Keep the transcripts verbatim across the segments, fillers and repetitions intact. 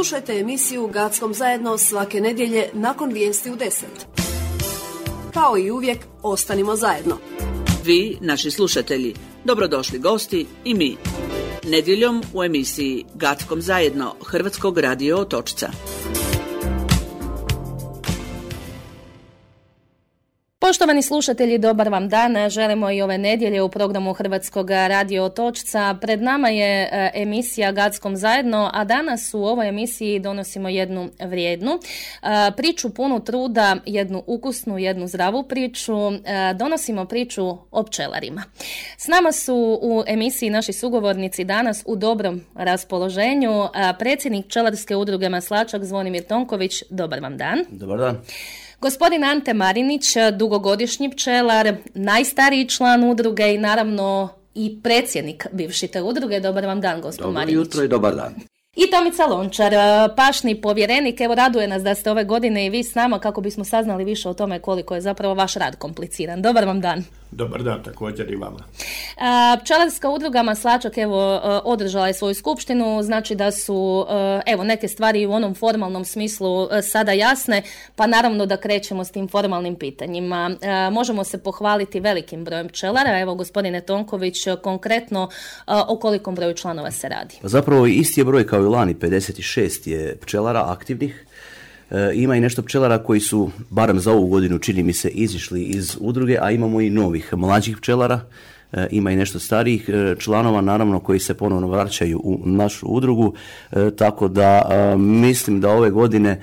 Slušajte emisiju Gackom zajedno svake nedjelje nakon vijesti u deset. Kao i uvijek, ostanimo zajedno. Vi, naši slušatelji, dobrodošli gosti i mi. Nedjeljom u emisiji Gackom zajedno Hrvatskog radio Otočca. Poštovani slušatelji, dobar vam dan. Želimo i ove nedjelje u programu Hrvatskog radio Otočca. Pred nama je emisija Gackom zajedno, a danas u ovoj emisiji donosimo jednu vrijednu priču punu truda, jednu ukusnu, jednu zdravu priču. Donosimo priču o pčelarima. S nama su u emisiji naši sugovornici danas u dobrom raspoloženju. Predsjednik pčelarske udruge Maslačak Zvonimir Tonković, dobar vam dan. Dobar dan. Gospodin Ante Marinić, dugogodišnji pčelar, najstariji član udruge i naravno i predsjednik bivše te udruge. Dobar vam dan, gospodin Marinić. Dobro jutro i dobar dan. I Tomica Lončar, pašni povjerenik. Evo, raduje nas da ste ove godine i vi s nama kako bismo saznali više o tome koliko je zapravo vaš rad kompliciran. Dobar vam dan. Dobar dan, također i vama. Pčelarska udruga Maslačak evo održala je svoju skupštinu, znači da su evo neke stvari u onom formalnom smislu sada jasne, pa naravno da krećemo s tim formalnim pitanjima. Možemo se pohvaliti velikim brojem pčelara. Evo, gospodine Tonković, konkretno o kolikom broju članova se radi? Zapravo isti je broj kao i lani, pedeset šest je pčelara aktivnih. E, ima i nešto pčelara koji su, barem za ovu godinu, čini mi se, izišli iz udruge, a imamo i novih mlađih pčelara, e, ima i nešto starijih e, članova, naravno, koji se ponovno vraćaju u našu udrugu, e, tako da e, mislim da ove godine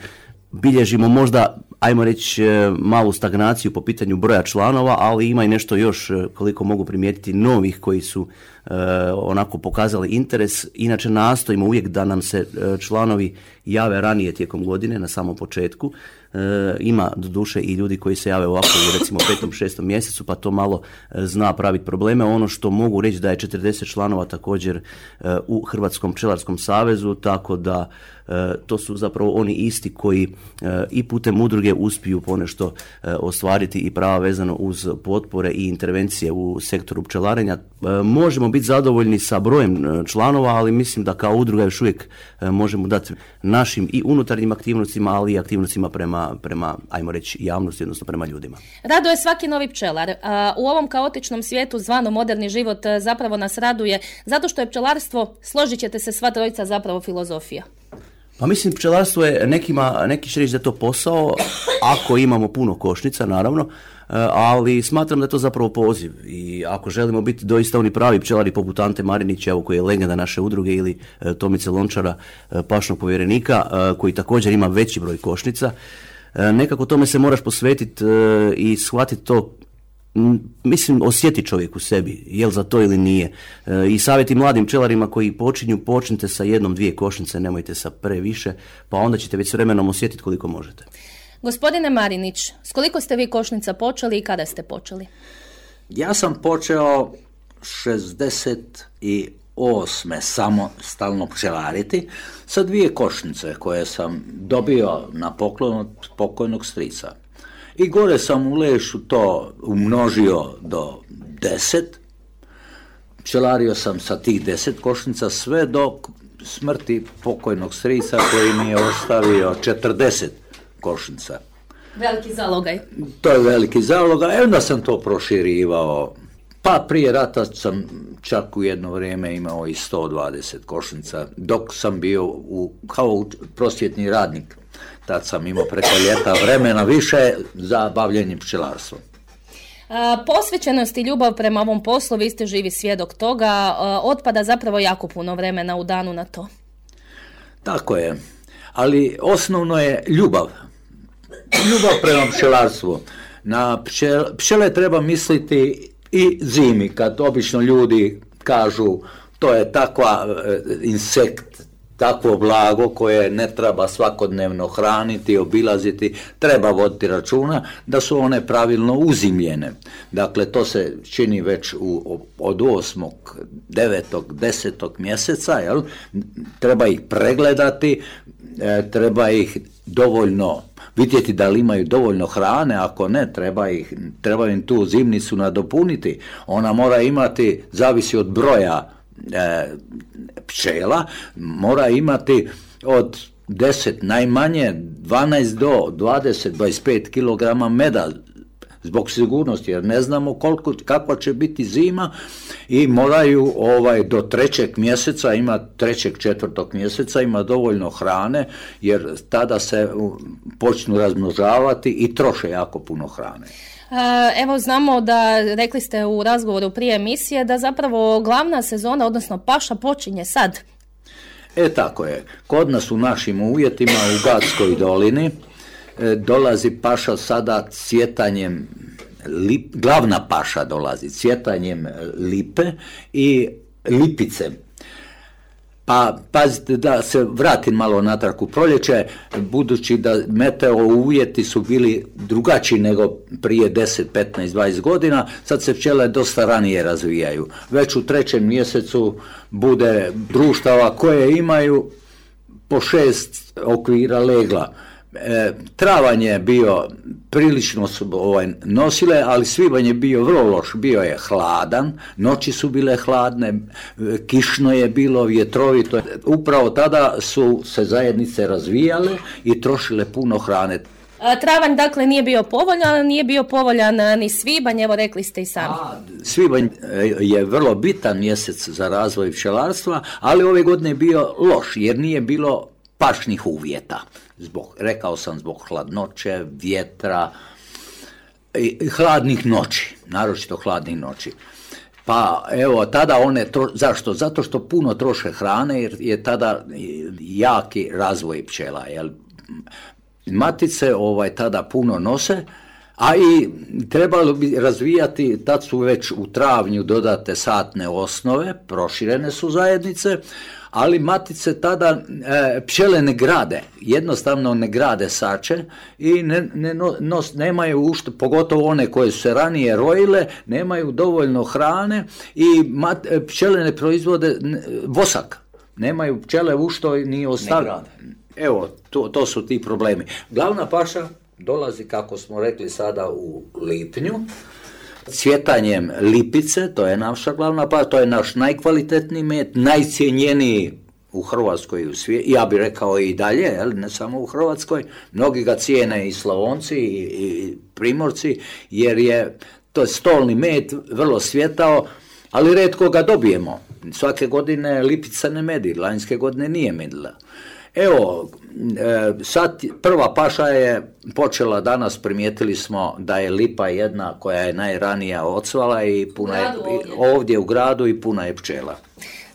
bilježimo možda, ajmo reći, malu stagnaciju po pitanju broja članova, ali ima i nešto još, koliko mogu primijetiti, novih koji su e, onako pokazali interes. Inače nastojimo uvijek da nam se e, članovi jave ranije tijekom godine, na samom početku. E, ima doduše i ljudi koji se jave ovako u recimo petom, šestom mjesecu, pa to malo e, zna praviti probleme. Ono što mogu reći da je četrdeset članova također e, u Hrvatskom pčelarskom savezu, tako da e, to su zapravo oni isti koji e, i putem udruge uspiju ponešto e, ostvariti i prava vezano uz potpore i intervencije u sektoru pčelarenja. E, možemo biti zadovoljni sa brojem članova, ali mislim da kao udruga još uvijek e, možemo dati našim i unutarnjim aktivnostima, ali i aktivnostima prema, prema, ajmo reći, javnosti, odnosno prema ljudima. Raduje svaki novi pčelar. U ovom kaotičnom svijetu zvano moderni život zapravo nas raduje, zato što je pčelarstvo, složit ćete se sva trojica, zapravo filozofija. Pa mislim, pčelarstvo je nekima, neki će reći da je to posao, ako imamo puno košnica, naravno, ali smatram da je to zapravo poziv i ako želimo biti doista oni pravi pčelari poput Ante Marinića, evo, koji je legenda naše udruge, ili Tomice Lončara, pašnog povjerenika, koji također ima veći broj košnica, nekako tome se moraš posvetiti i shvatiti to. Mislim, osjeti čovjek u sebi, jel za to ili nije. E, I savjeti mladim pčelarima koji počinju, počnite sa jednom, dvije košnice, nemojte sa previše, pa onda ćete već s vremenom osjetiti koliko možete. Gospodine Marinić, s koliko ste vi košnica počeli i kada ste počeli? Ja sam počeo šezdeset osme samostalno pčelariti sa dvije košnice koje sam dobio na poklon od pokojnog strica. I gore sam u lešu to umnožio do deset. Pčelario sam sa tih deset košnica sve do smrti pokojnog strica koji mi je ostavio četrdeset košnica. Veliki zalogaj. To je veliki zalogaj. E onda sam to proširivao. Pa prije rata sam čak u jedno vrijeme imao i sto dvadeset košnica, dok sam bio u, kao prosvjetni radnik. Tad sam imao preko ljeta vremena više za bavljenje pčelarstvom. Posvećenost i ljubav prema ovom poslu, vi ste živi svjedok toga, otpada zapravo jako puno vremena u danu na to. Tako je, ali osnovno je ljubav. Ljubav prema pčelarstvu. Na pčel, pčele treba misliti i zimi, kad obično ljudi kažu to je takva e, insekt, takvo blago koje ne treba svakodnevno hraniti, obilaziti, treba voditi računa da su one pravilno uzimljene. Dakle, to se čini već u, od osmog, devetog, desetog mjeseca, jel? Treba ih pregledati, e, treba ih dovoljno vidjeti da li imaju dovoljno hrane, ako ne, treba, ih, treba im tu zimnicu nadopuniti. Ona mora imati, zavisi od broja e, pčela, mora imati od deset, najmanje dvanaest do dvadeset do dvadeset pet kilograma meda zbog sigurnosti, jer ne znamo koliko, kakva će biti zima i moraju ovaj, do trećeg mjeseca, ima trećeg, četvrtog mjeseca, ima dovoljno hrane, jer tada se počnu razmnožavati i troše jako puno hrane. Evo znamo da, rekli ste u razgovoru prije emisije, da zapravo glavna sezona, odnosno paša, počinje sad. E tako je. Kod nas u našim uvjetima u Gatskoj dolini e, dolazi paša sada cvjetanjem, lip, glavna paša dolazi cvjetanjem lipe i lipice. Pa pazite, da se vratim malo natrag u proljeće, budući da meteo uvjeti su bili drugačiji nego prije deset, petnaest, dvadeset godina, sad se pčele dosta ranije razvijaju. Već u trećem mjesecu bude društava koje imaju po šest okvira legla. E, travanj je bio, prilično su ovaj, nosile, ali svibanj je bio vrlo loš, bio je hladan, noći su bile hladne, kišno je bilo, vjetrovito. Upravo tada su se zajednice razvijale i trošile puno hrane. Travanj dakle nije bio povoljan, nije bio povoljan ni svibanj, evo rekli ste i sami. A, svibanj je vrlo bitan mjesec za razvoj pčelarstva, ali ove godine je bio loš jer nije bilo pašnih uvjeta. Zbog, rekao sam, zbog hladnoće, vjetra i hladnih noći, naročito hladnih noći. Pa evo, tada one, tro, zašto? Zato što puno troše hrane jer je tada jaki razvoj pčela. Jel? Matice ovaj, tada puno nose, a i trebalo bi razvijati, tad su već u travnju dodate satne osnove, proširene su zajednice, ali matice tada e, pčele ne grade, jednostavno ne grade sače i ne, ne, nos, nemaju ušto, pogotovo one koje su se ranije rojile, nemaju dovoljno hrane i mat, pčele ne proizvode vosak, nemaju pčele u što ni ostavljati. Evo, to, to su ti problemi. Glavna paša dolazi, kako smo rekli, sada u lipnju, cvjetanjem lipice, to je naša glavna paša, to je naš najkvalitetniji med, najcijenjeniji u Hrvatskoj i u svijetu, ja bih rekao i dalje, jel, ne samo u Hrvatskoj, mnogi ga cijene i Slavonci i, i Primorci, jer je to stolni med, vrlo svjetao, ali retko ga dobijemo. Svake godine lipica ne medi, lanjske godine nije medila. Evo, sad prva paša je počela danas, primijetili smo da je lipa jedna koja je najranija odsvala i puna je ovdje. ovdje u gradu i puna je pčela.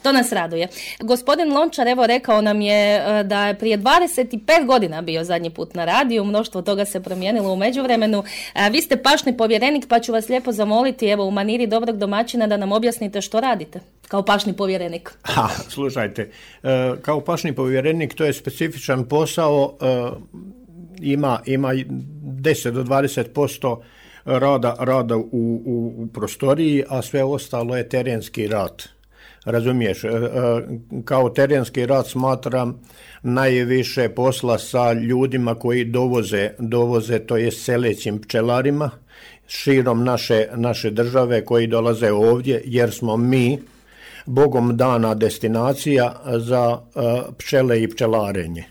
To nas raduje. Gospodin Lončar evo rekao nam je da je prije dvadeset pet godina bio zadnji put na radiju, mnoštvo toga se promijenilo u međuvremenu. Vi ste pašni povjerenik, pa ću vas lijepo zamoliti evo u maniri dobrog domaćina da nam objasnite što radite kao pašni povjerenik. Ha, slušajte, kao pašni povjerenik to je specifičan posao, ima, ima deset do dvadeset posto rada, rada u, u, u prostoriji, a sve ostalo je terenski rad. Razumiješ, kao terenski rad smatram najviše posla sa ljudima koji dovoze, dovoze to je selećim pčelarima širom naše, naše države koji dolaze ovdje jer smo mi Bogom dana destinacija za pčele i pčelarenje.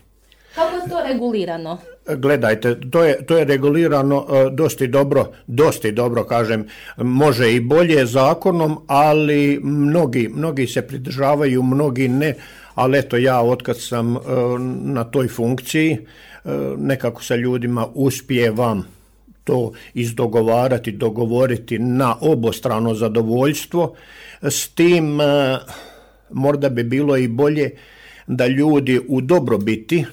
Kako je to regulirano? Gledajte, to je, to je regulirano uh, dosti dobro, dosti dobro kažem, može i bolje zakonom, ali mnogi, mnogi se pridržavaju, mnogi ne, ali eto ja otkad sam uh, na toj funkciji, uh, nekako sa ljudima uspijevam to izdogovarati, dogovoriti na obostrano zadovoljstvo, s tim uh, možda bi bilo i bolje da ljudi u dobrobiti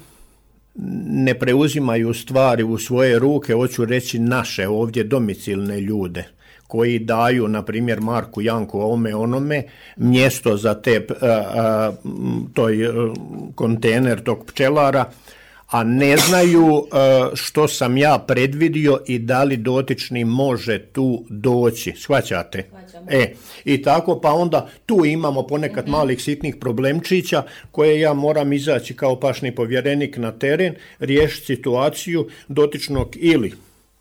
ne preuzimaju stvari u svoje ruke, hoću reći naše ovdje domicilne ljude koji daju, na primjer, Marku, Janku, ovome, onome, mjesto za te, a, a, toj a, kontejner tog pčelara, a ne znaju a, što sam ja predvidio i da li dotični može tu doći. Shvaćate? E, i tako, pa onda tu imamo ponekad mm-hmm. malih sitnih problemčića koje ja moram izaći kao pašni povjerenik na teren, riješiti situaciju dotičnog ili,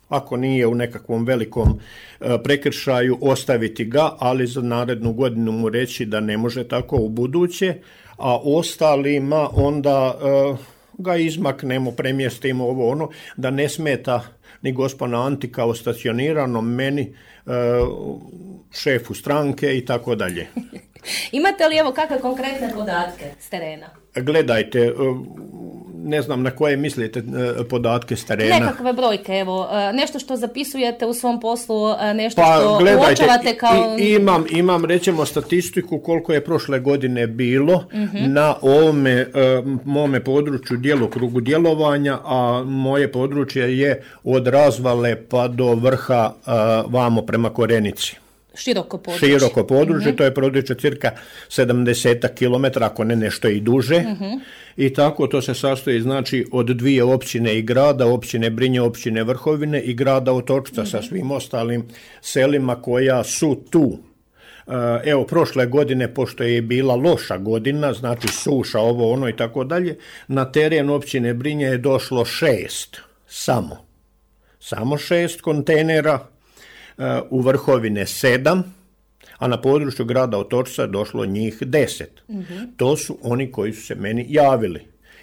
ako nije u nekakvom velikom e, prekršaju, ostaviti ga, ali za narednu godinu mu reći da ne može tako u buduće, a ostalima onda... E, ga izmaknemo, premjestimo ovo ono, da ne smeta ni gospana Anti kao stacioniranom, meni, e, šefu stranke i tako dalje. Imate li evo kakve konkretne podatke s terena? Gledajte, ne znam na koje mislite podatke s terena. Nekakve brojke, evo, nešto što zapisujete u svom poslu, nešto pa, što gledajte, uočavate kao... I, imam, imam, rećemo, statistiku koliko je prošle godine bilo uh-huh. na ovome mome području djelokrugu djelovanja, a moje područje je od Razvale pa do vrha vamo prema Korenici. Široko područje. Široko područje, uh-huh. to je područje cirka sedamdeset kilometara, ako ne nešto i duže. Uh-huh. I tako to se sastoji, znači, od dvije općine i grada, općine Brinje, općine Vrhovine i grada Otočca uh-huh. sa svim ostalim selima koja su tu. Evo, prošle godine, pošto je bila loša godina, znači suša, ovo, ono i tako dalje, na teren općine Brinje je došlo šest, samo. Samo šest kontejnera, u Vrhovine sedam, a na području grada Otočca došlo njih deset. Mm-hmm. To su oni koji su se meni javili.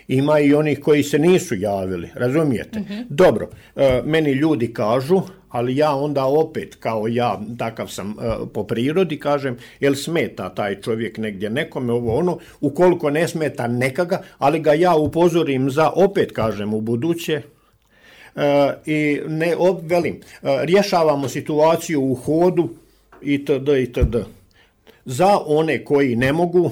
Ima i onih koji se nisu javili, razumijete? Mm-hmm. Dobro, e, meni ljudi kažu, ali ja onda opet, kao ja, takav sam e, po prirodi, kažem, jel smeta taj čovjek negdje nekome, ovo ono, ukoliko ne smeta nekaga, ali ga ja upozorim za, opet kažem, u buduće, Uh, i ne obvelim, uh, rješavamo situaciju u hodu itd. itd. Za one koji ne mogu,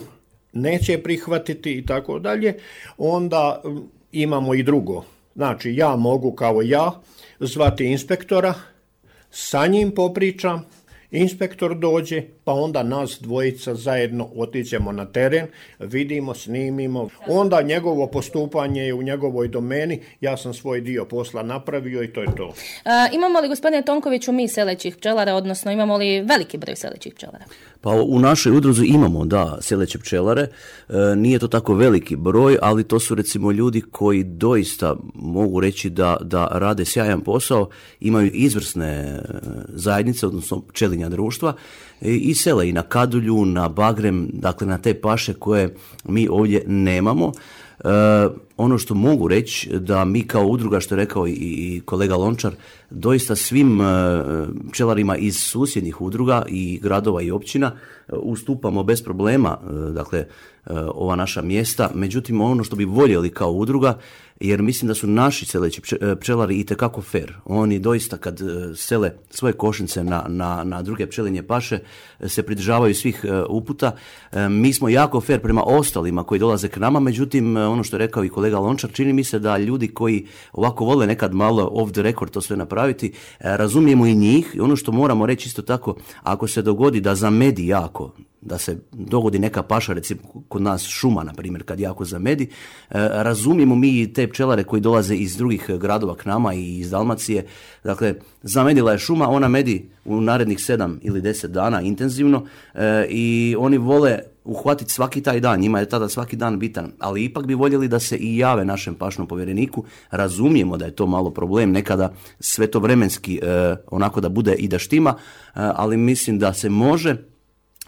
neće prihvatiti i tako dalje, onda um, imamo i drugo. Znači, ja mogu kao ja zvati inspektora, sa njim popričam, inspektor dođe, pa onda nas dvojica zajedno otićemo na teren, vidimo, snimimo, onda njegovo postupanje je u njegovoj domeni, ja sam svoj dio posla napravio i to je to. A, imamo li, gospodine Tonkoviću, mi selećih pčelara, odnosno imamo li veliki broj selećih pčelara? Pa u našoj udruzi imamo, da, seleće pčelare, e, nije to tako veliki broj, ali to su recimo ljudi koji doista mogu reći da, da rade sjajan posao, imaju izvrsne zajednice, odnosno pčelinja društva, i sele i na Kadulju, na Bagrem, dakle na te paše koje mi ovdje nemamo. E, ono što mogu reći da mi kao udruga, što je rekao i, i kolega Lončar, doista svim e, pčelarima iz susjednih udruga i gradova i općina e, ustupamo bez problema, e, dakle, e, ova naša mjesta. Međutim, ono što bi voljeli kao udruga, jer mislim da su naši seleći pčelari itekako fair. Oni doista kad sele svoje košnice na, na, na druge pčelinje paše se pridržavaju svih uputa. Mi smo jako fair prema ostalima koji dolaze k nama, međutim, ono što je rekao i kolega Lončar, čini mi se da ljudi koji ovako vole nekad malo off the record to sve napraviti, razumijemo i njih. Ono što moramo reći isto tako, ako se dogodi da zamedi jako, da se dogodi neka paša, recimo kod nas šuma, na primjer, kad jako zamedi, razumijemo mi te pčelare koji dolaze iz drugih gradova k nama i iz Dalmacije. Dakle, zamedila je šuma, ona medi u narednih sedam ili deset dana intenzivno e, i oni vole uhvatiti svaki taj dan, njima je tada svaki dan bitan, ali ipak bi voljeli da se i jave našem pašnom povjereniku. Razumijemo da je to malo problem, nekada sve to vremenski e, onako da bude i da štima, e, ali mislim da se može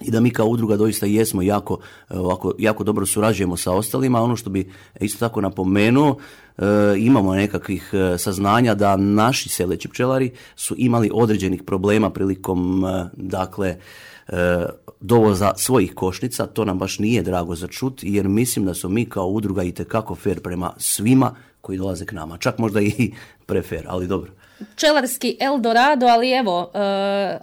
i da mi kao udruga doista jesmo jako, ovako, jako dobro surađujemo sa ostalima. Ono što bi isto tako napomenuo, e, imamo nekakvih saznanja da naši seleći pčelari su imali određenih problema prilikom e, dakle e, dovoza svojih košnica. To nam baš nije drago za čut, jer mislim da smo mi kao udruga itekako fair prema svima koji dolaze k nama. Čak možda i prefer, ali dobro. Pčelarski Eldorado, ali evo, uh,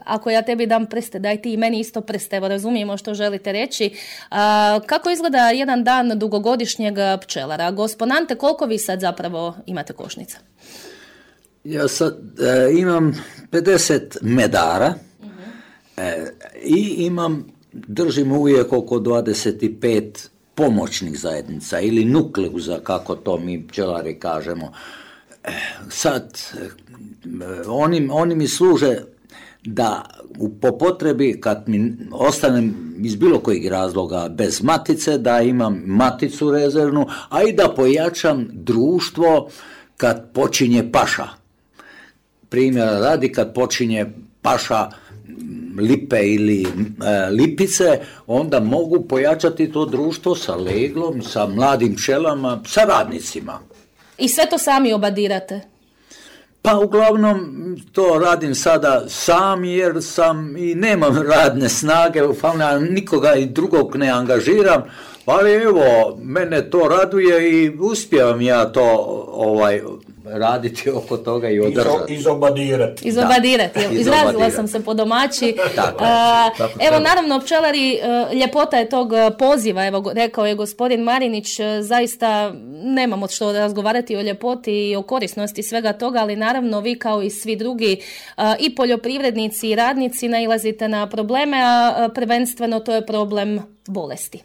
ako ja tebi dam prste, daj ti i meni isto prste, evo razumijemo što želite reći. Uh, kako izgleda jedan dan dugogodišnjeg pčelara? Gospon Ante, koliko vi sad zapravo imate košnica? Ja sad e, imam pedeset medara uh-huh. e, i imam, držim uvijek oko dvadeset pet pomoćnih zajednica ili nukleuza, kako to mi pčelari kažemo. Sad, oni, oni mi služe da po potrebi, kad mi ostanem iz bilo kojeg razloga bez matice, da imam maticu rezervnu, a i da pojačam društvo kad počinje paša. Primjera radi, kad počinje paša lipe ili e, lipice, onda mogu pojačati to društvo sa leglom, sa mladim pčelama, sa radnicima. I sve to sami obadirate? Pa uglavnom to radim sada sam jer sam i nemam radne snage, nikoga i drugog ne angažiram, ali evo, mene to raduje i uspijevam ja to ovaj raditi oko toga i održati. Izobadirati. Izobadirati, izrazila sam se po domaći. Tako, uh, tako evo, treba. Naravno, pčelari, uh, ljepota je tog poziva, evo, rekao je gospodin Marinić, uh, zaista nemamo što razgovarati o ljepoti i o korisnosti svega toga, ali naravno vi kao i svi drugi uh, i poljoprivrednici i radnici nailazite na probleme, a uh, prvenstveno to je problem bolesti.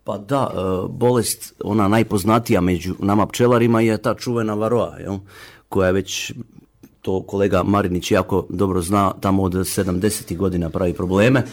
Pa da, bolest, ona najpoznatija među nama pčelarima je ta čuvena varoa, jel? Koja je već, to kolega Marinić jako dobro zna, tamo od sedamdesetih godina pravi probleme.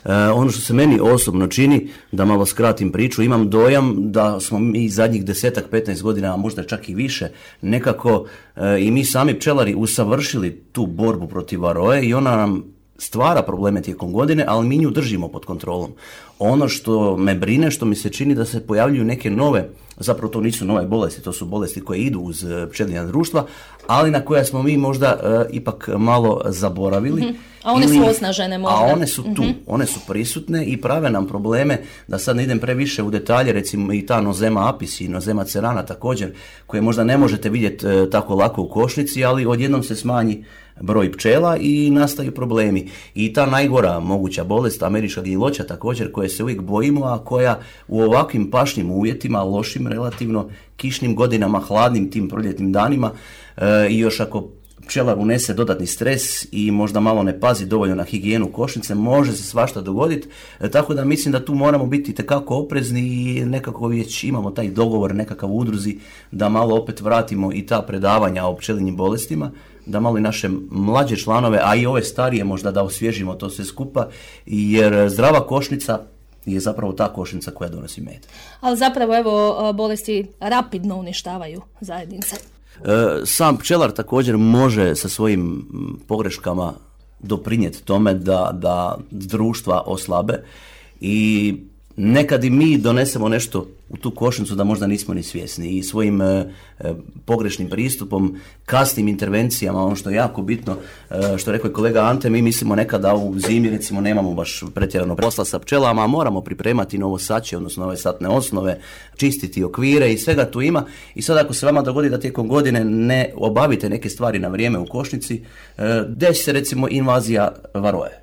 E, ono što se meni osobno čini, da malo skratim priču, imam dojam da smo mi zadnjih desetak, petnaest godina, a možda čak i više, nekako e, i mi sami pčelari usavršili tu borbu protiv varoe i ona nam stvara probleme tijekom godine, ali mi nju držimo pod kontrolom. Ono što me brine, što mi se čini da se pojavljuju neke nove, zapravo to nisu nove bolesti, to su bolesti koje idu uz pčelinja društva, ali na koje smo mi možda uh, ipak malo zaboravili. Mm-hmm. A one ili, su osnažene možda. A one su tu, mm-hmm. one su prisutne i prave nam probleme, da sad ne idem previše u detalje, recimo i ta nozema apis i nozema cerana također, koje možda ne možete vidjeti uh, tako lako u košnici, ali odjednom se smanji broj pčela i nastaju problemi. I ta najgora moguća bolest, američka gniloća također, koje se uvijek bojimo, a koja u ovakvim pašnim uvjetima, lošim relativno, kišnim godinama, hladnim tim proljetnim danima e, i još ako pčelar unese dodatni stres i možda malo ne pazi dovoljno na higijenu košnice, može se svašta dogoditi, e, tako da mislim da tu moramo biti itekako oprezni i nekako već imamo taj dogovor nekakav u udruzi da malo opet vratimo i ta predavanja o pčelinjim bolestima, da malo i naše mlađe članove, a i ove starije možda da osvježimo to sve skupa, jer zdrava košnica je zapravo ta košnica koja donosi med. Ali zapravo evo bolesti rapidno uništavaju zajednice. Sam pčelar također može sa svojim pogreškama doprinijeti tome da, da društva oslabe i nekad i mi donesemo nešto u tu košnicu da možda nismo ni svjesni i svojim e, pogrešnim pristupom, kasnim intervencijama, ono što je jako bitno, e, što je rekao i kolega Ante, mi mislimo nekada u zimi recimo nemamo baš pretjerano posla sa pčelama, moramo pripremati novo sače, odnosno nove satne osnove, čistiti okvire i svega tu ima i sad ako se vama dogodi da tijekom godine ne obavite neke stvari na vrijeme u košnici, e, desi se recimo invazija varoje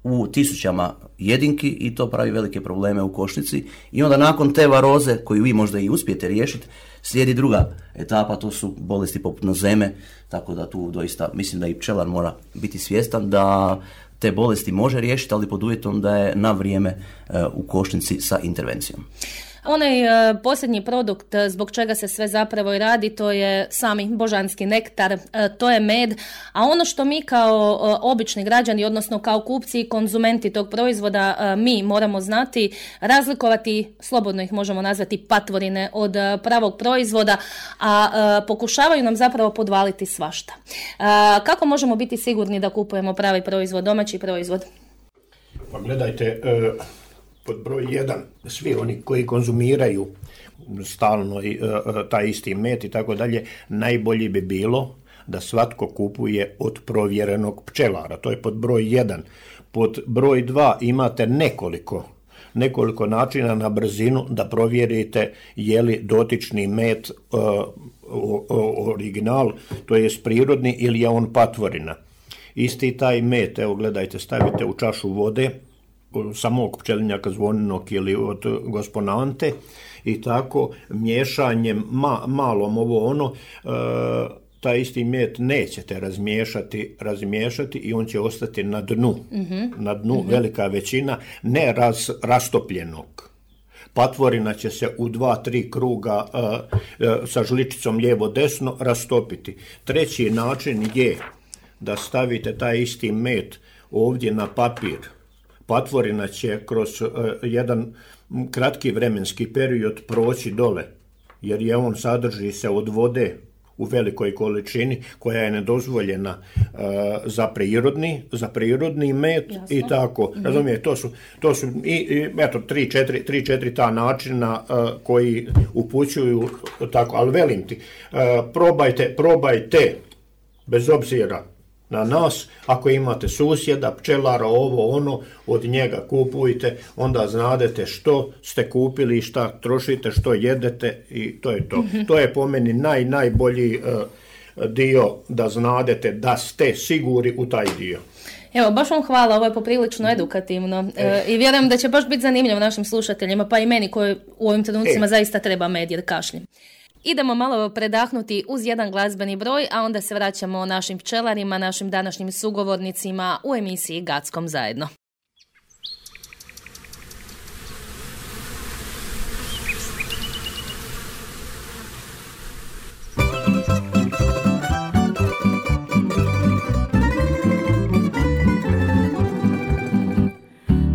u tisućama jedinki i to pravi velike probleme u košnici i onda nakon te varoze koju vi možda i uspijete riješiti slijedi druga etapa, to su bolesti poput nozeme, tako da tu doista mislim da i pčelar mora biti svjestan da te bolesti može riješiti, ali pod uvjetom da je na vrijeme uh, u košnici sa intervencijom. Onaj uh, posljednji produkt uh, zbog čega se sve zapravo i radi, to je sami božanski nektar, uh, to je med, a ono što mi kao uh, obični građani, odnosno kao kupci i konzumenti tog proizvoda, uh, mi moramo znati razlikovati, slobodno ih možemo nazvati patvorine od uh, pravog proizvoda, a uh, pokušavaju nam zapravo podvaliti svašta. Uh, kako možemo biti sigurni da kupujemo pravi proizvod, domaći proizvod? Pa gledajte, uh... pod broj jedan, svi oni koji konzumiraju stalno i, uh, taj isti med i tako dalje, najbolje bi bilo da svatko kupuje od provjerenog pčelara. To je pod broj jedan. Pod broj dva imate nekoliko, nekoliko načina na brzinu da provjerite je li dotični med uh, o, o, original, to je prirodni ili je on patvorina. Isti taj med, evo gledajte, stavite u čašu vode, samog pčelinjaka zvoninog ili od gosponante i tako miješanjem ma, malom ovo ono e, taj isti med nećete razmiješati, razmiješati i on će ostati na dnu, mm-hmm. na dnu mm-hmm. velika većina ne raz, rastopljenog. Patvorina će se u dva, tri kruga e, e, sa žličicom lijevo-desno rastopiti. Treći način je da stavite taj isti med ovdje na papir. Patvorina će kroz uh, jedan kratki vremenski period proći dole, jer je on sadrži se od vode, u velikoj količini koja je nedozvoljena uh, za prirodni, za prirodni med. Jasno. I tako, mm-hmm. razumije, to su, to su i, i eto, tri, četiri, tri, četiri ta načina uh, koji upućuju tako, ali velim ti, uh, probajte, probajte, bez obzira na nas, ako imate susjeda, pčelara, ovo, ono, od njega kupujte, onda znadete što ste kupili, šta trošite, što jedete i to je to. Mm-hmm. To je po meni naj, najbolji uh, dio da znadete da ste sigurni u taj dio. Evo, baš vam hvala, ovo je poprilično edukativno e, i vjerujem da će baš biti zanimljivo našim slušateljima, pa i meni koji u ovim trenucima e. zaista treba med jer kašljem. Idemo malo predahnuti uz jedan glazbeni broj, a onda se vraćamo našim pčelarima, našim današnjim sugovornicima u emisiji Gackom zajedno.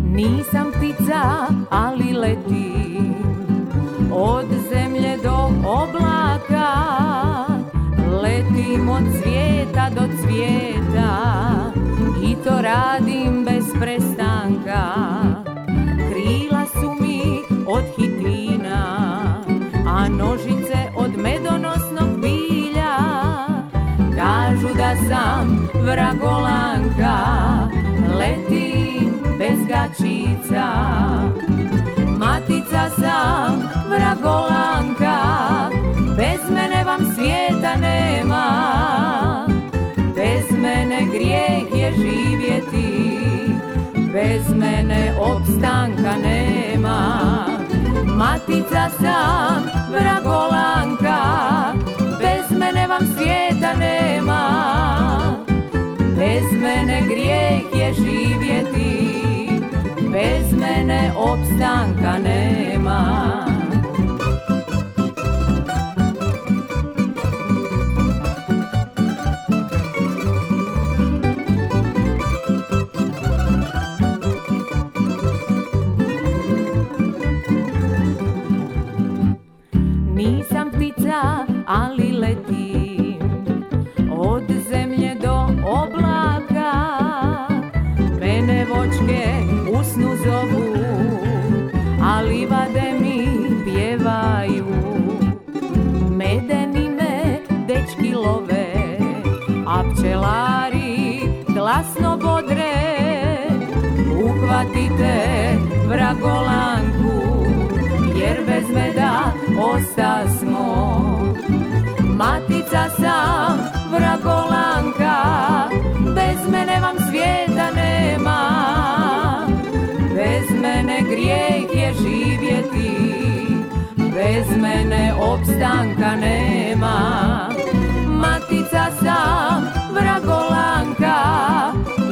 Nisam ptica, ali letim od zemlje do oblaka, letim od cvijeta do cvijeta i to radim bez prestanka. Krila su mi od hitina, a nožice od medonosnog bilja. Kažu da sam vragolanka, letim bez gačica. Matica sam vragolanka, bez mene vam svijeta nema. Bez mene grijeh je živjeti, bez mene opstanka nema. Matica sam vragolanka, bez mene vam svijeta nema. Bez mene grijeh je živjeti, bez mene opstanka nema. Nisam ptica, ali letim od zemlje do oblaka. Mene vočke u snu zovu, a livade mi pjevaju. Medeni me dečki love, a pčelari glasno bodre. Uhvatite vragolanku, jer bez meda ostasmo. Matica sam vragolanka, bez mene vam svijeta nema. Bez mene grijeh je živjeti, bez mene opstanka nema. Matica sam vragolanka,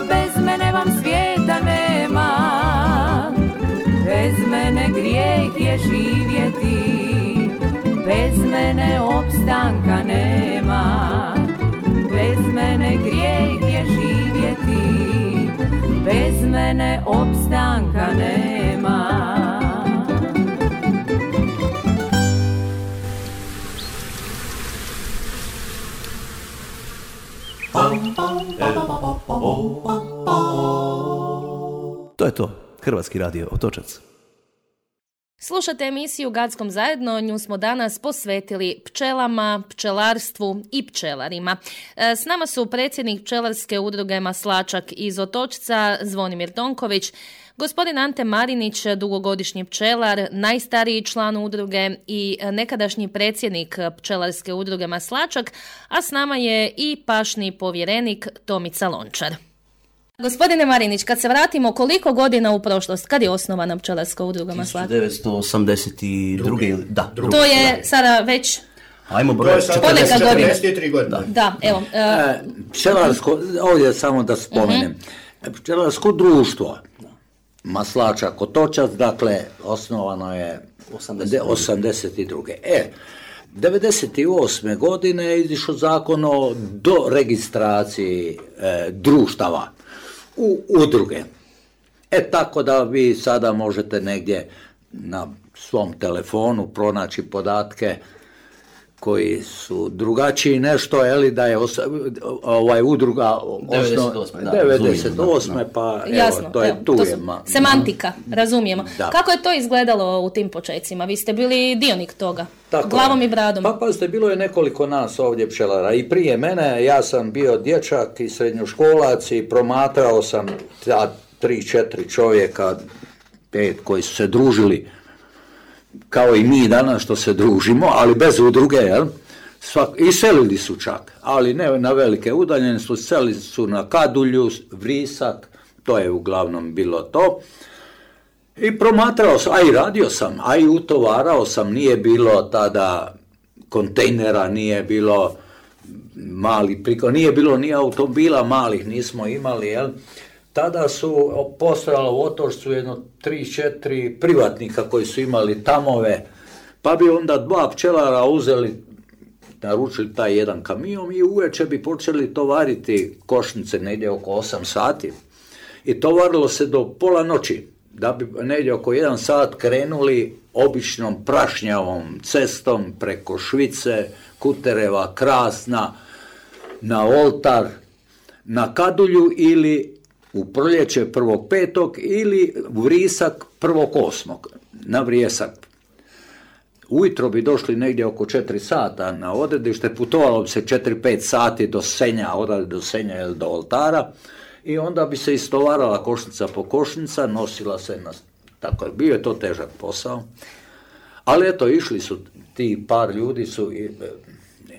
bez mene vam svijeta nema. Bez mene grijeh je živjeti, bez mene opstanka nema. Bez mene grijeh je živjeti, bez mene opstanka nema. To je to. Hrvatski radio Otočac. Slušate emisiju Gackom zajedno, nju smo danas posvetili pčelama, pčelarstvu i pčelarima. S nama su predsjednik pčelarske udruge Maslačak iz Otočca, Zvonimir Tonković, gospodin Ante Marinić, dugogodišnji pčelar, najstariji član udruge i nekadašnji predsjednik pčelarske udruge Maslačak, a s nama je i pašni povjerenik Tomica Lončar. Gospodine Marinić, kad se vratimo koliko godina u prošlost, kad je osnovana pčelarska udruga Maslačak? tisuću devetsto osamdeset druge. Da, druge. To je sada već... Ajmo broj četrdeset tri godine. Da, da evo. Uh... E, pčelarsko, ovdje samo da spomenem, uh-huh. Pčelarsko društvo Maslačak Otočac, dakle, osnovano je osamdeset druge. E, devedeset osme godine je izišao zakon o doregistraciji e, društava u udruge. E tako da vi sada možete negdje na svom telefonu pronaći podatke koji su drugačiji nešto, je da je os, ovaj udruga devedeset osme, da, devedeset osme pa evo, jasno, to je evo, tu to je su ma, semantika, razumijemo. Da. Kako je to izgledalo u tim počecima? Vi ste bili dionik toga, tako glavom je. i bradom. Pa pazite, bilo je nekoliko nas ovdje pčelara i prije mene, ja sam bio dječak i srednjoškolac i promatrao sam ta tri, četiri čovjeka, pet koji su se družili kao i mi danas što se družimo, ali bez udruge, jel? Svak, i selili su čak, ali ne na velike udaljenosti, selili su na Kadulju, Vrisak, to je uglavnom bilo to. I promatrao sam, a i radio sam, a i utovarao sam, nije bilo tada kontejnera, nije bilo mali priko, nije bilo ni automobila malih, nismo imali, jel? Tada su postojalo u Otočcu jedno tri, četiri privatnika koji su imali tamove, pa bi onda dva pčelara uzeli, naručili taj jedan kamion i uveče bi počeli tovariti košnice negdje oko osam sati. I tovarilo se do pola noći, da bi negdje oko jedan sat krenuli običnom prašnjavom cestom preko Švice, Kutereva, Krasna, na Oltar, na Kadulju ili u proljeće prvog petog ili u Vrisak prvog osmog na Vrijesak. Ujutro bi došli negdje oko četiri sata na odredište, putovalo bi se četiri pet sati do Senja, odavde do Senja ili do Oltara i onda bi se istovarala košnica po košnica, nosila se na... Tako je, bio je to težak posao, ali eto, išli su ti par ljudi su i,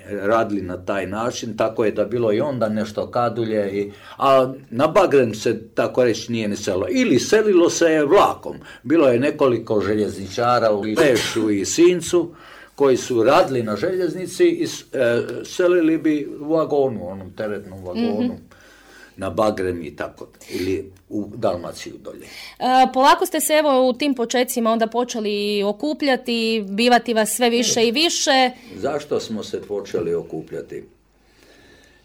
radili na taj način, tako je da bilo i onda nešto Kadulje, i, a na Bagren se tako reći nije ni selilo. Ili selilo se je vlakom. Bilo je nekoliko željezničara u Lešu i Sincu koji su radili na željeznici i e, selili bi u vagonu, onom teretnom vagonu. Mm-hmm. Na Bagren i tako, ili u Dalmaciju dolje. E, polako ste se evo u tim počecima onda počeli okupljati, bivati vas sve više i više. Zašto smo se počeli okupljati?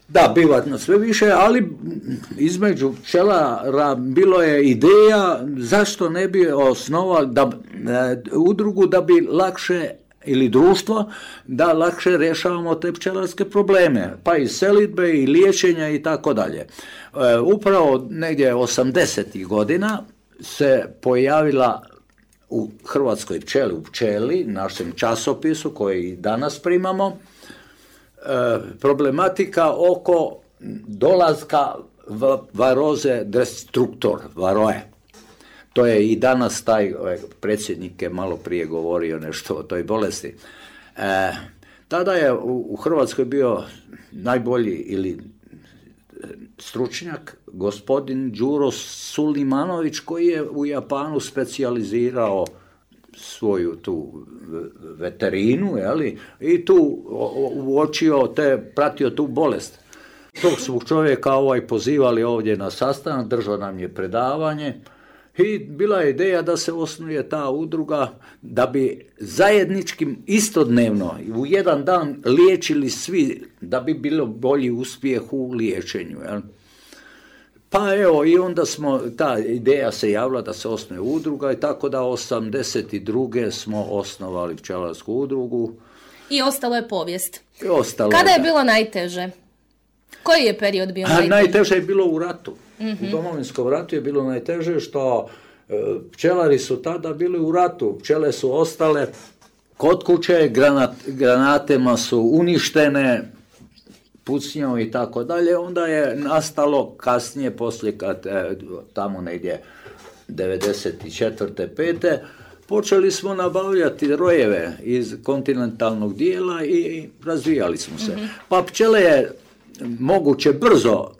Da, bivati nas sve više, ali između pčelara bilo je ideja zašto ne bi osnovali da, e, udrugu da bi lakše ili društvo, da lakše rješavamo te pčelarske probleme, pa i selidbe i liječenja i tako dalje. Upravo negdje osamdesetih godina se pojavila u Hrvatskoj pčeli, u Pčeli, našem časopisu koji danas primamo, problematika oko dolaska varoze destruktor, varoje. To je i danas taj predsjednik je malo prije govorio nešto o toj bolesti. E, tada je u, u Hrvatskoj bio najbolji ili stručnjak gospodin Đuro Sulimanović koji je u Japanu specijalizirao svoju tu veterinu, jeli, i tu uočio te, pratio tu bolest. Tog svog čovjeka ovaj pozivali ovdje na sastanak, držao nam je predavanje. I bila je ideja da se osnuje ta udruga da bi zajedničkim istodnevno u jedan dan liječili svi, da bi bilo bolji uspjeh u liječenju. Jel? Pa evo, i onda smo, ta ideja se javila da se osnuje udruga i tako da osamdeset druge smo osnovali pčelarsku udrugu. I ostalo je povijest. I ostalo Kada je da. bilo najteže? Koji je period bio najteže? Najteže je bilo u ratu. Mm-hmm. U Domovinskom ratu je bilo najteže što e, pčelari su tada bili u ratu. Pčele su ostale kod kuće, granat, granatema su uništene, pucnjom i tako dalje. Onda je nastalo kasnije, poslije kad e, tamo negdje devedeset četvrte pete počeli smo nabavljati rojeve iz kontinentalnog dijela i razvijali smo se. Mm-hmm. Pa pčele je moguće brzo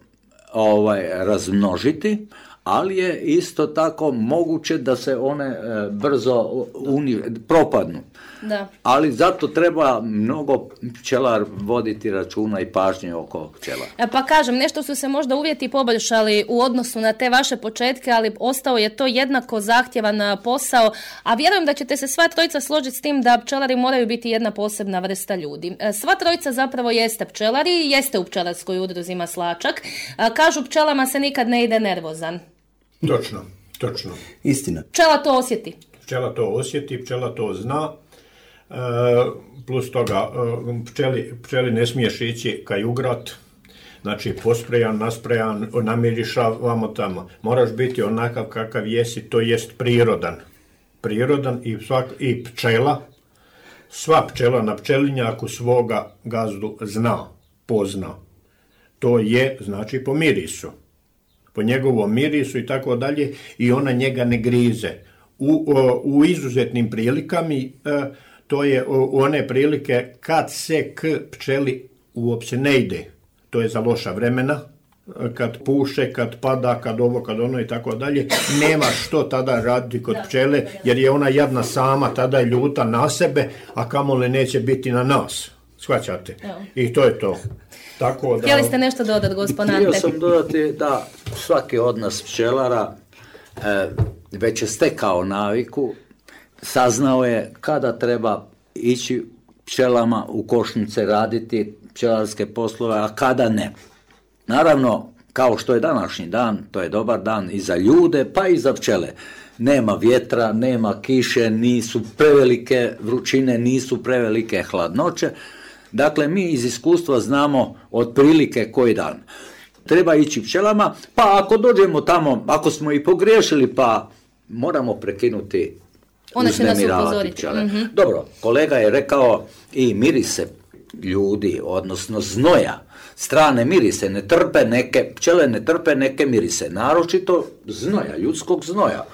ovaj, razmnožiti, ali je isto tako moguće da se one e, brzo uni, propadnu. Da. Ali zato treba mnogo pčelar voditi računa i pažnje oko pčela. E, pa kažem, nešto su se možda uvjeti poboljšali u odnosu na te vaše početke, ali ostao je to jednako zahtjevan posao, a vjerujem da ćete se sva trojica složiti s tim da pčelari moraju biti jedna posebna vrsta ljudi. E, sva trojica zapravo jeste pčelari, jeste u pčelarskoj udruzi Maslačak. E, kažu pčelama se nikad ne ide nervozan. Točno, točno. Istina. Pčela to osjeti. Pčela to osjeti, pčela to zna. plus toga pčeli, pčeli ne smiješ ići kaj ugrat, znači posprejan, nasprejan, namirišavamo tamo. Moraš biti onakav kakav jesi, to jest prirodan. Prirodan i, svak, i pčela, sva pčela na pčelinjaku svoga gazdu zna, pozna. To je, znači, po mirisu. Po njegovom mirisu i tako dalje, i ona njega ne grize. U, u izuzetnim prilikama, to je u one prilike kad se k pčeli uopće ne ide. To je za loša vremena, kad puše, kad pada, kad ovo, kad ono i tako dalje. Nema što tada raditi kod pčele, jer je ona jadna sama, tada je ljuta na sebe, a kamoli neće biti na nas. Shvaćate? I to je to. Tako da... Htjeli ste nešto dodati, gospodin Ante? Htio sam dodati da svaki od nas pčelara e, već je stekao naviku, saznao je kada treba ići pčelama u košnice raditi pčelarske poslove, a kada ne. Naravno, kao što je današnji dan, to je dobar dan i za ljude, pa i za pčele. Nema vjetra, nema kiše, nisu prevelike vrućine, nisu prevelike hladnoće. Dakle, mi iz iskustva znamo otprilike koji dan treba ići pčelama, pa ako dođemo tamo, ako smo i pogriješili, pa moramo prekinuti uznemiravati pčele. Mm-hmm. Dobro, kolega je rekao i mirise ljudi, odnosno znoja, strane mirise, ne trpe neke, pčele ne trpe neke mirise, naročito znoja, ljudskog znoja.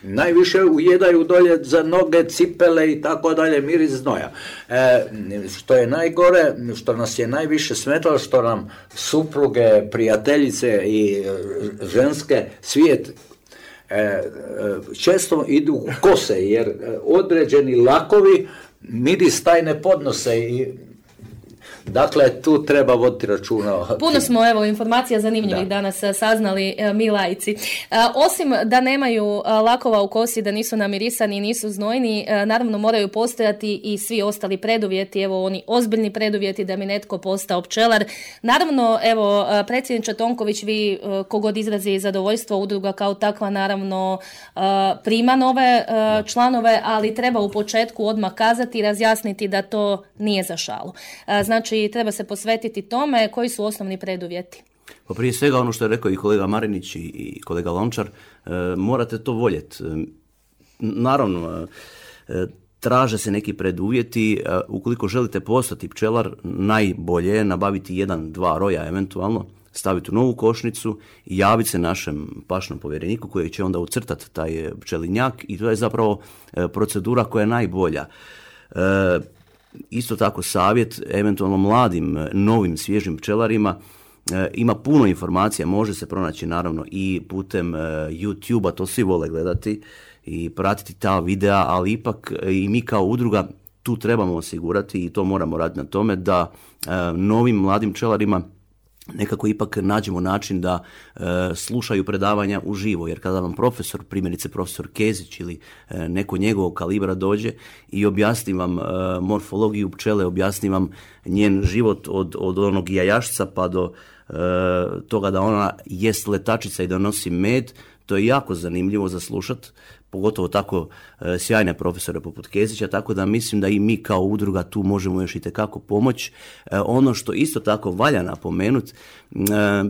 Najviše ujedaju dolje za noge, cipele i tako dalje, miris znoja. E, što je najgore, što nas je najviše smetalo, što nam supruge, prijateljice i ženske svijet e, često idu u kose, jer određeni lakovi miris taj ne podnose i dakle, tu treba voditi računa. Puno smo, evo, informacija zanimljivih da. danas saznali mi laici. Osim da nemaju lakova u kosi, da nisu namirisani i nisu znojni, naravno moraju postojati i svi ostali preduvjeti, evo oni ozbiljni preduvjeti da mi netko postao pčelar. Naravno, evo, predsjedniče Tonković, vi kogod izrazi zadovoljstvo, udruga kao takva naravno prima nove članove, ali treba u početku odmah kazati i razjasniti da to nije za šalu. Znači, treba se posvetiti tome koji su osnovni preduvjeti. Pa prije svega ono što je rekao i kolega Marinić i kolega Lončar, e, morate to voljeti. E, naravno, e, traže se neki preduvjeti. E, ukoliko želite postati pčelar, najbolje je nabaviti jedan, dva roja eventualno, staviti u novu košnicu i javiti se našem pašnom povjereniku koji će onda ucrtati taj pčelinjak i to je zapravo e, procedura koja je najbolja. E, Isto tako savjet, eventualno mladim, novim, svježim pčelarima, e, ima puno informacija, može se pronaći naravno i putem e, YouTube-a, to svi vole gledati i pratiti ta videa, ali ipak e, i mi kao udruga tu trebamo osigurati i to moramo raditi na tome da e, novim mladim pčelarima nekako ipak nađemo način da e, slušaju predavanja uživo, jer kada vam profesor, primjerice profesor Kezić ili e, neko njegovog kalibra dođe i objasni vam e, morfologiju pčele, objasni vam njen život od, od onog jajašca pa do e, toga da ona jest letačica i da nosi med, to je jako zanimljivo za slušat, pogotovo tako e, sjajne profesore poput Kezića, tako da mislim da i mi kao udruga tu možemo još itekako pomoći. E, ono što isto tako valja napomenuti, e,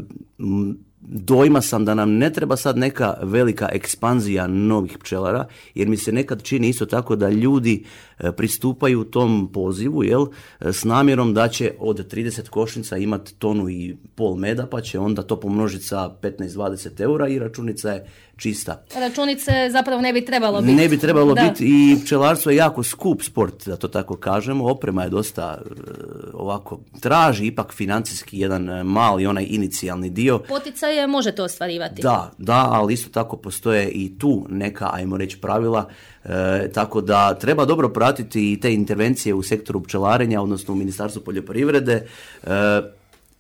dojma sam da nam ne treba sad neka velika ekspanzija novih pčelara, jer mi se nekad čini isto tako da ljudi pristupaju tom pozivu, jel, s namjerom da će od trideset košnica imati tonu i pol meda, pa će onda to pomnožiti sa petnaest do dvadeset eura i računica je čista. Računice zapravo ne bi trebalo biti. Ne bi trebalo da. biti i pčelarstvo je jako skup sport, da to tako kažemo. Oprema je dosta ovako, traži ipak financijski jedan mali onaj inicijalni dio. Poticaje možete ostvarivati. Da, da, ali isto tako postoje i tu neka, ajmo reći, pravila, e, tako da treba dobro pratiti i te intervencije u sektoru pčelarenja, odnosno u Ministarstvu poljoprivrede. E,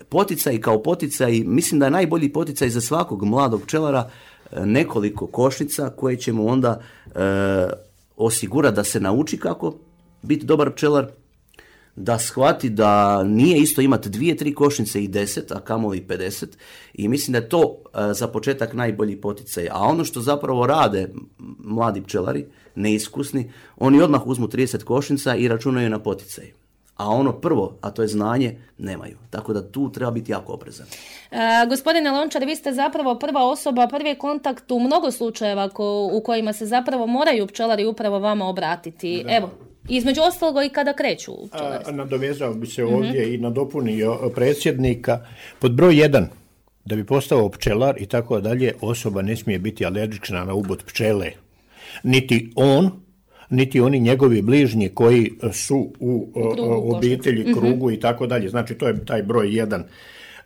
poticaj kao poticaj, mislim da je najbolji poticaj za svakog mladog pčelara nekoliko košnica koje ćemo onda e, osigurati da se nauči kako biti dobar pčelar, da shvati da nije isto imati dvije, tri košnice i deset, a kamoli pedeset, i mislim da je to uh, za početak najbolji poticaj. A ono što zapravo rade mladi pčelari, neiskusni, oni odmah uzmu trideset košnica i računaju na poticaj. A ono prvo, a to je znanje, nemaju. Tako da tu treba biti jako oprezan. E, gospodine Lončar, vi ste zapravo prva osoba, prvi kontakt u mnogo slučajeva ko, u kojima se zapravo moraju pčelari upravo vama obratiti. Da. Evo, između ostaloga i kada kreću pčelari. Nadovezao bi se ovdje mm-hmm. i nadopunio predsjednika. Pod broj jedan, da bi postao pčelar i tako dalje, osoba ne smije biti alergična na ubod pčele. Niti on, niti oni njegovi bližnji koji su u krugu, obitelji, košnic. krugu mm-hmm. i tako dalje. Znači, to je taj broj jedan.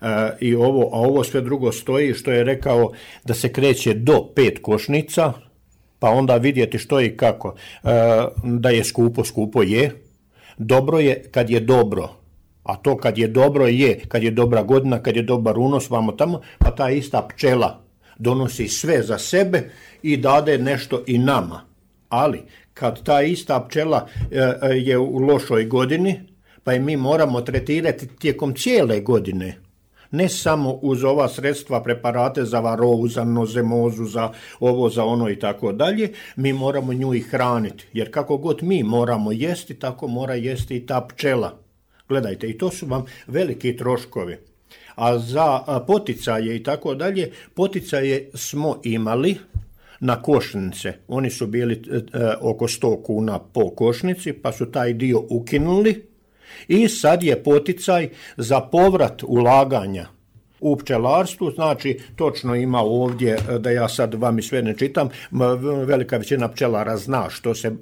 Uh, i ovo, a ovo sve drugo stoji, što je rekao da se kreće do pet košnica, pa onda vidjeti što i kako. Uh, da je skupo, skupo je. Dobro je kad je dobro. A to kad je dobro je, kad je dobra godina, kad je dobar unos, vamo tamo, pa ta ista pčela donosi sve za sebe i dade nešto i nama. Ali, kad ta ista pčela e, je u lošoj godini, pa i mi moramo tretirati tijekom cijele godine, ne samo uz ova sredstva, preparate za varovu, za nozemozu, za ovo, za ono i tako dalje, mi moramo nju i hraniti. Jer kako god mi moramo jesti, tako mora jesti i ta pčela. Gledajte, i to su vam veliki troškovi. A za poticaje i tako dalje, poticaje smo imali na košnice. Oni su bili e, oko sto kuna po košnici, pa su taj dio ukinuli i sad je poticaj za povrat ulaganja u pčelarstvu. Znači, točno ima ovdje, da ja sad vam i sve ne čitam, velika većina pčelara zna što se e,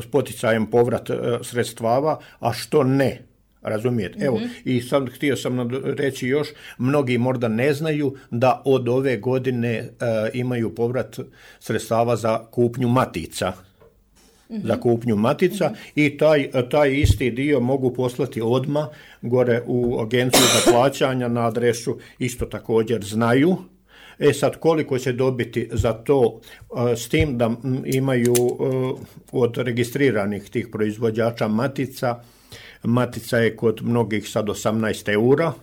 s poticajem povrat e, sredstava, a što ne. Razumijete? Mm-hmm. Evo, i sad htio sam reći još, mnogi možda ne znaju da od ove godine e, imaju povrat sredstava za kupnju matica. Mm-hmm. Za kupnju matica mm-hmm. i taj, taj isti dio mogu poslati odmah gore u agenciju za plaćanja na adresu, isto također znaju. E sad, koliko će dobiti za to, s tim da imaju od registriranih tih proizvođača matica, matica je kod mnogih sad osamnaest eura,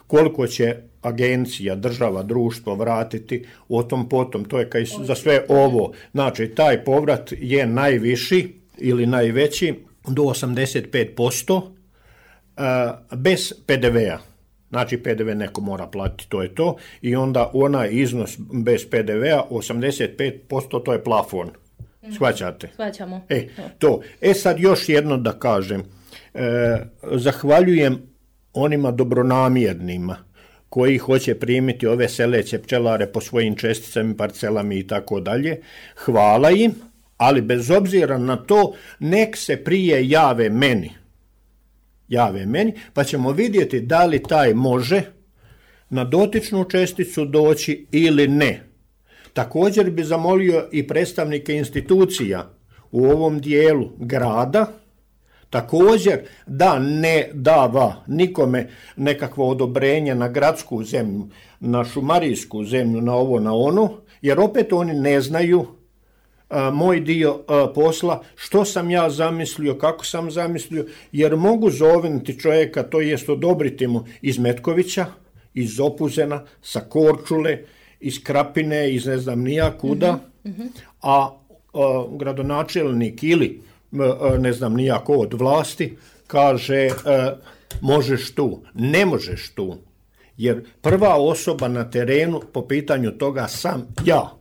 koliko će agencija, država, društvo vratiti, o tom potom, to je kaj za sve ovo. Znači, taj povrat je najviši ili najveći do osamdeset pet posto bez pe de vea. Znači, pe de ve neko mora platiti, to je to, i onda onaj iznos bez pe de vea, osamdeset pet posto, to je plafon. Shvaćate? Shvaćamo. E, to. E sad još jedno da kažem. E, zahvaljujem onima dobronamjernima koji hoće primiti ove seleće pčelare po svojim česticama, parcelama i tako dalje. Hvala im, ali bez obzira na to, nek se prije jave meni. Jave meni, pa ćemo vidjeti da li taj može na dotičnu česticu doći ili ne. Također bi zamolio i predstavnike institucija u ovom dijelu grada, također da ne dava nikome nekakvo odobrenje na gradsku zemlju, na šumarijsku zemlju, na ovo, na ono, jer opet oni ne znaju a, moj dio a, posla, što sam ja zamislio, kako sam zamislio, jer mogu zovnuti čovjeka, to jest odobriti mu iz Metkovića, iz Opuzena, sa Korčule, iz Krapine, iz ne znam nija kuda, mm-hmm. a, a gradonačelnik ili ne znam nijako od vlasti, kaže možeš tu, ne možeš tu, jer prva osoba na terenu po pitanju toga sam ja.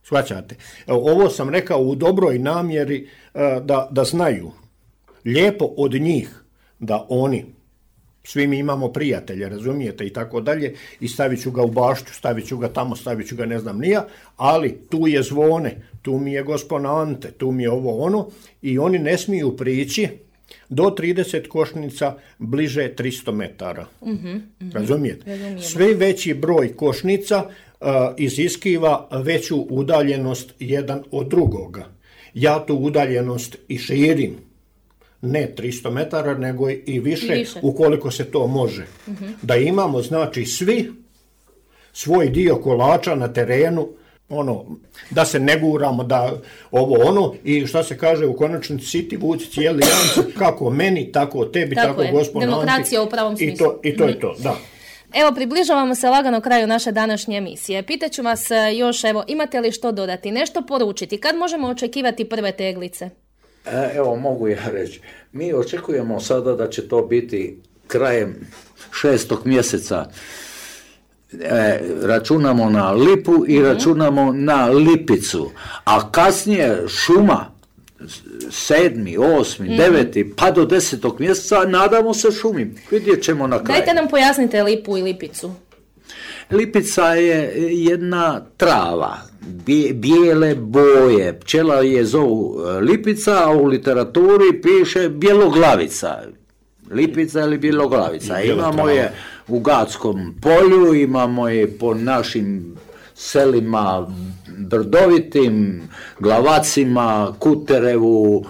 Shvaćate? Ovo sam rekao u dobroj namjeri da, da znaju. Lijepo od njih da oni, svi mi imamo prijatelje, razumijete, i tako dalje, i stavit ću ga u baštu, stavit ću ga tamo, stavit ću ga ne znam nija, ali tu je zvone, tu mi je gospon Ante, tu mi je ovo ono, i oni ne smiju prići do trideset košnica bliže tristo metara. Mm-hmm, mm-hmm. Razumijete? Razumijemo. Sve veći broj košnica uh, iziskiva veću udaljenost jedan od drugoga. Ja tu udaljenost i širim. Ne tristo metara, nego i više, više. ukoliko se to može. Uh-huh. Da imamo, znači, svi svoj dio kolača na terenu ono, da se ne guramo, da ovo ono, i šta se kaže u konačnici, siti vuci cijeli janci, kako meni, tako tebi, tako, tako gospod Anti. Demokracija u pravom smislu. I to, i to je to, da. Evo, približavamo se lagano kraju naše današnje emisije. Pitaću vas još, evo, imate li što dodati, nešto poručiti? Kad možemo očekivati prve teglice? E, evo, mogu ja reći. Mi očekujemo sada da će to biti krajem šestog mjeseca. E, računamo na lipu i mm-hmm. računamo na lipicu. A kasnije šuma, sedmi, osmi, mm-hmm. deveti, pa do desetog mjeseca, nadamo se šumi. Vidjet ćemo na kraju. Dajte nam pojasnite lipu i lipicu. Lipica je jedna trava, bijele boje. Pčela je zovu lipica, a u literaturi piše bjeloglavica. Lipica ili bjeloglavica. Imamo je u Gatskom polju, imamo je po našim selima brdovitim, Glavacima, Kuterevu,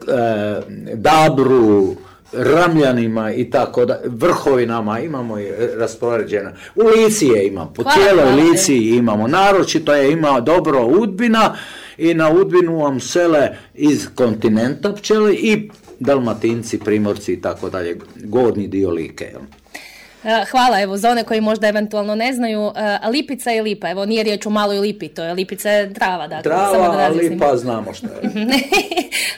e, Dabru, Ramljanima i tako da, Vrhovinama imamo je raspoređena. U Lici je imamo, po hvala, cijeloj hvala, Lici imamo, naročito je ima dobro Udbina i na Udbinu vam sele iz kontinenta pčele i Dalmatinci, Primorci i tako dalje, gornji dio Like, jel? Hvala, evo, za one koji možda eventualno ne znaju, lipica je lipa, evo, nije riječ o maloj lipi, to je lipica je trava, dakle. Trava, a lipa znamo što je.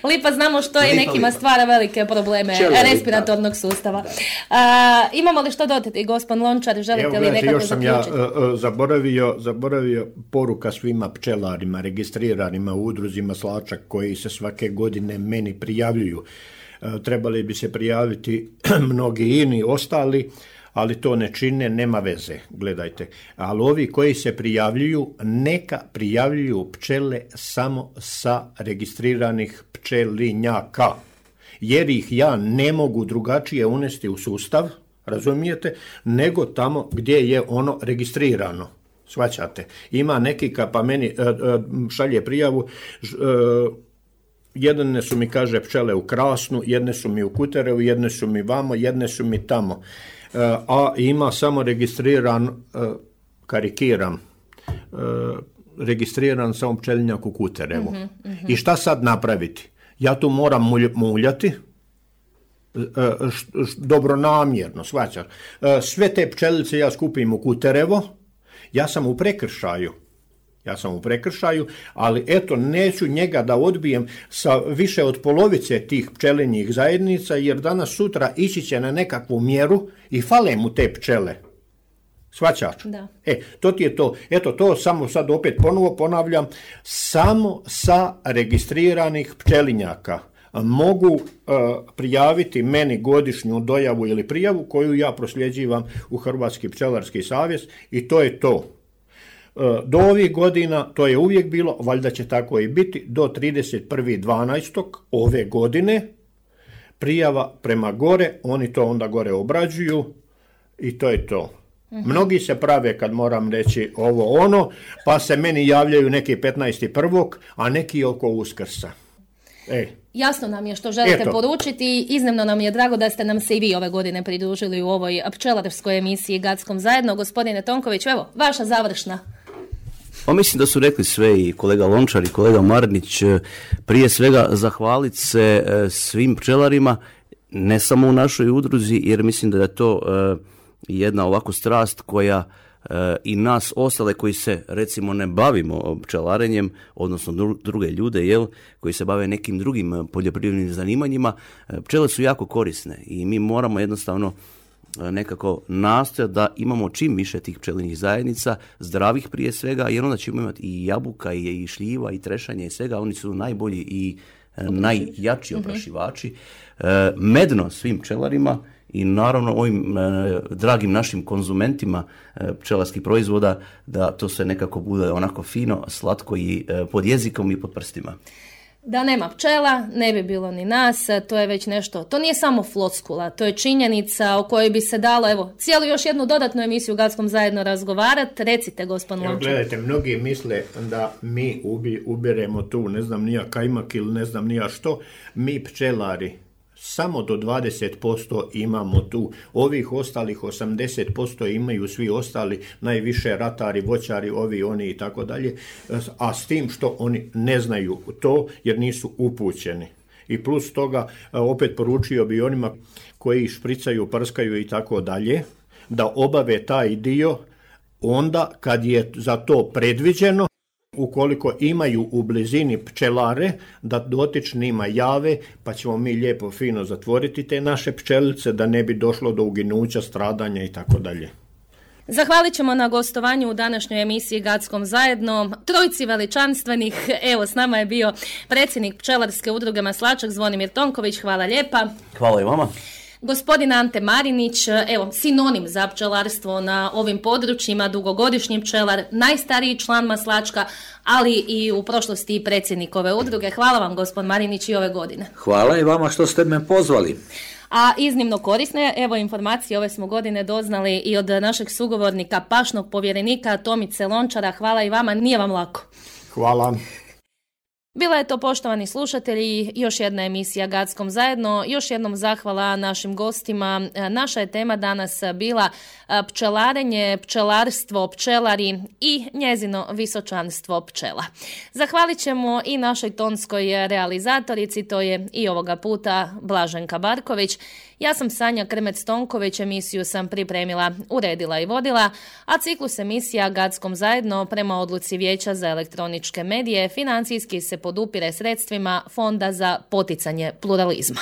Lipa znamo što je i nekima stvara velike probleme Čele, respiratornog lipa. Sustava. A, imamo li što dodati, gospodin Lončar, želite evo, li nekako još sam zaključiti? Ja uh, zaboravio, zaboravio poruka svima pčelarima, registriranima u udruzima Slačak koji se svake godine meni prijavljuju. Uh, trebali bi se prijaviti mnogi ini ostali, ali to ne čine, nema veze, gledajte. Ali ovi koji se prijavljuju, neka prijavljuju pčele samo sa registriranih pčelinjaka, jer ih ja ne mogu drugačije unesti u sustav, razumijete, nego tamo gdje je ono registrirano. Shvaćate? Ima neki pa meni šalje prijavu, jedne su mi, kaže, pčele u Krasnu, jedne su mi u Kuterevu, jedne su mi vamo, jedne su mi tamo. A ima samo registriran, karikiram, registriran samo pčelinjak u Kuterevu. Mm-hmm, mm-hmm. I šta sad napraviti? Ja tu moram muljati, dobronamjerno, shvaćaš. Sve te pčelice ja skupim u Kuterevo, ja sam u prekršaju. Ja sam u prekršaju, ali eto, neću njega da odbijem sa više od polovice tih pčelinjih zajednica, jer danas sutra ići će na nekakvu mjeru i fale mu te pčele. Shvaćaš? Da. E, to ti je to. Eto, to samo sad opet ponovo ponavljam, samo sa registriranih pčelinjaka mogu uh, prijaviti meni godišnju dojavu ili prijavu koju ja prosljeđivam u Hrvatski pčelarski savez i to je to. Do ovih godina, to je uvijek bilo, valjda će tako i biti, do trideset prvog dvanaestog ove godine, prijava prema gore, oni to onda gore obrađuju i to je to. Mm-hmm. Mnogi se prave, kad moram reći ovo ono, pa se meni javljaju neki petnaesti prvog a neki oko Uskrsa. Ej. Jasno nam je što želite Eto. poručiti. Iznimno nam je drago da ste nam se i vi ove godine pridružili u ovoj pčelarskoj emisiji Gatskom zajedno. Gospodine Tonković, evo, vaša završna. Pa mislim da su rekli sve i kolega Lončar i kolega Marnić. Prije svega zahvaliti se svim pčelarima, ne samo u našoj udruzi, jer mislim da je to jedna ovako strast koja i nas ostale koji se recimo ne bavimo pčelarenjem, odnosno druge ljude, jel, koji se bave nekim drugim poljoprivrednim zanimanjima, pčele su jako korisne i mi moramo jednostavno nekako nastojati da imamo čim više tih pčelinjih zajednica, zdravih prije svega, jer onda ćemo imati i jabuka i šljiva i trešanje i svega, oni su najbolji i Oprašivači. najjači oprašivači. Mm-hmm. Medno svim pčelarima i naravno ovim e, dragim našim konzumentima e, pčelarskih proizvoda, da to sve nekako bude onako fino, slatko i e, pod jezikom i pod prstima. Da nema pčela, ne bi bilo ni nas, to je već nešto, to nije samo floskula, to je činjenica o kojoj bi se dalo, evo, cijelu još jednu dodatnu emisiju u Gatskom zajedno razgovarati. Recite, gospodin Lončar. Gledajte, mnogi misle da mi ubi, ubiremo tu, ne znam nija kajmak ili ne znam nija što, mi pčelari samo do dvadeset posto imamo tu. Ovih ostalih osamdeset posto imaju svi ostali, najviše ratari, voćari, ovi, oni i tako dalje, a s tim što oni ne znaju to jer nisu upućeni. I plus toga, opet poručio bi onima koji špricaju, prskaju i tako dalje, da obave taj dio onda kad je za to predviđeno, ukoliko imaju u blizini pčelare, da dotičnima jave, pa ćemo mi lijepo fino zatvoriti te naše pčelice, da ne bi došlo do uginuća, stradanja i tako dalje. Zahvalit ćemo na gostovanju u današnjoj emisiji Gatskom zajedno trojci veličanstvenih. Evo, s nama je bio predsjednik Pčelarske udruge Maslačak Zvonimir Tonković. Hvala lijepa. Hvala i vama. Gospodin Ante Marinić, evo, sinonim za pčelarstvo na ovim područjima, dugogodišnji pčelar, najstariji član Maslačka, ali i u prošlosti i predsjednik ove udruge. Hvala vam, gospodin Marinić, i ove godine. Hvala i vama što ste me pozvali. A iznimno korisne, evo, informacije ove smo godine doznali i od našeg sugovornika, pašnog povjerenika Tomice Lončara. Hvala i vama, nije vam lako. Hvala. Bila je to, poštovani slušatelji, još jedna emisija Gatskom zajedno. Još jednom zahvala našim gostima. Naša je tema danas bila pčelarenje, pčelarstvo, pčelari i njezino visočanstvo pčela. Zahvalit ćemo i našoj tonskoj realizatorici, to je i ovoga puta Blaženka Barković. Ja sam Sanja Krmec-Tonković, emisiju sam pripremila, uredila i vodila, a ciklus emisija Gatskom zajedno prema odluci Vijeća za elektroničke medije financijski se podupire sredstvima Fonda za poticanje pluralizma.